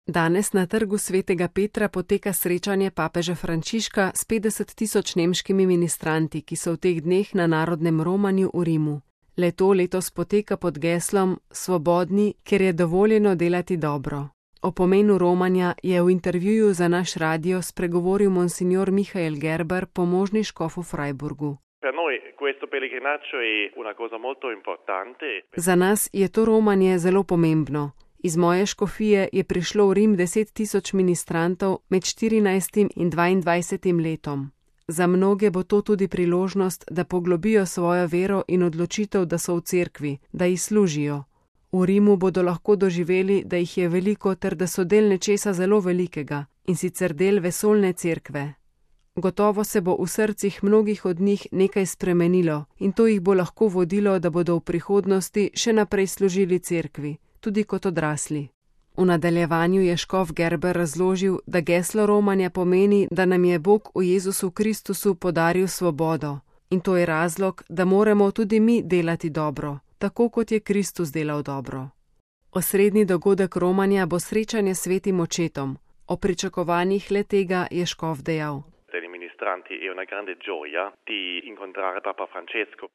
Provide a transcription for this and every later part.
Danes na trgu Svetega Petra poteka srečanje papeža Frančiška s 50 tisoč nemškimi ministranti, ki so v teh dneh na narodnem romanju v Rimu. Le-to letos poteka pod geslom Svobodni, ker je dovoljeno delati dobro. O pomenu romanja je v intervjuju za naš radio spregovoril monsignor Michael Gerber, pomožni škof v Freiburgu. Za nas je to romanje zelo pomembno. Iz moje škofije je prišlo v Rim 10 tisoč ministrantov med 14 in 22 letom. Za mnoge bo to tudi priložnost, da poglobijo svojo vero in odločitev, da so v cerkvi, da ji služijo. V Rimu bodo lahko doživeli, da jih je veliko ter da so del nečesa zelo velikega, in sicer del vesoljne cerkve. Gotovo se bo v srcih mnogih od njih nekaj spremenilo in to jih bo lahko vodilo, da bodo v prihodnosti še naprej služili cerkvi, tudi kot odrasli. V nadaljevanju je škof Gerber razložil, da geslo romanja pomeni, da nam je Bog v Jezusu Kristusu podaril svobodo. In to je razlog, da moramo tudi mi delati dobro, tako kot je Kristus delal dobro. Osrednji dogodek romanja bo srečanje s svetim očetom. O pričakovanjih le tega je škof dejal.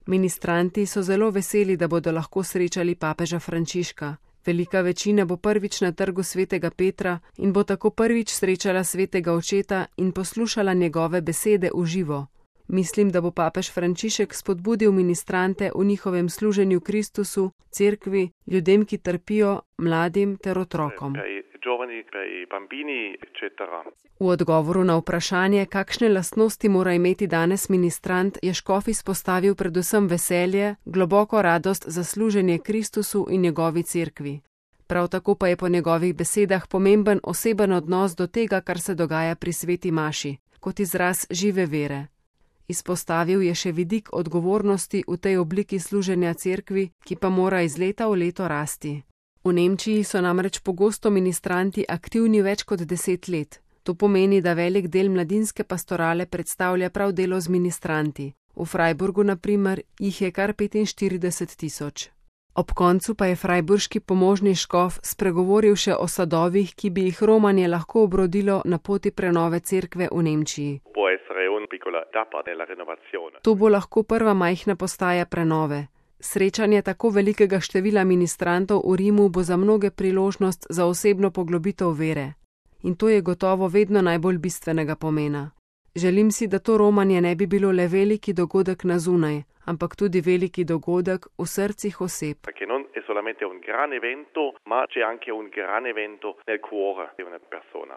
Ministranti so zelo veseli, da bodo lahko srečali papeža Frančiška. Velika večina bo prvič na trgu Svetega Petra in bo tako prvič srečala svetega očeta in poslušala njegove besede v živo. Mislim, da bo papež Frančišek spodbudil ministrante v njihovem služenju Kristusu, cerkvi, ljudem, ki trpijo, mladim ter otrokom. V odgovoru na vprašanje, kakšne lastnosti mora imeti danes ministrant, je škof izpostavil predvsem veselje, globoko radost za služenje Kristusu in njegovi cerkvi. Prav tako pa je po njegovih besedah pomemben oseben odnos do tega, kar se dogaja pri sveti maši, kot izraz žive vere. Izpostavil je še vidik odgovornosti v tej obliki služenja cerkvi, ki pa mora iz leta v leto rasti. V Nemčiji so namreč pogosto ministranti aktivni več kot 10 let. To pomeni, da velik del mladinske pastorale predstavlja prav delo z ministranti. V Freiburgu, na primer, jih je kar 45 tisoč. Ob koncu pa je freiburški pomožni škof spregovoril še o sadovih, ki bi jih romanje lahko obrodilo na poti prenove cerkve v Nemčiji. To bo lahko prva majhna postaja prenove. Srečanje tako velikega števila ministrantov v Rimu bo za mnoge priložnost za osebno poglobitev vere. In to je gotovo vedno najbolj bistvenega pomena. Želim si, da to romanje ne bi bilo le veliki dogodek na zunaj, ampak tudi veliki dogodek v srcih oseb. Perché non è solamente un gran evento, ma c'è anche un gran evento nel cuore di una persona.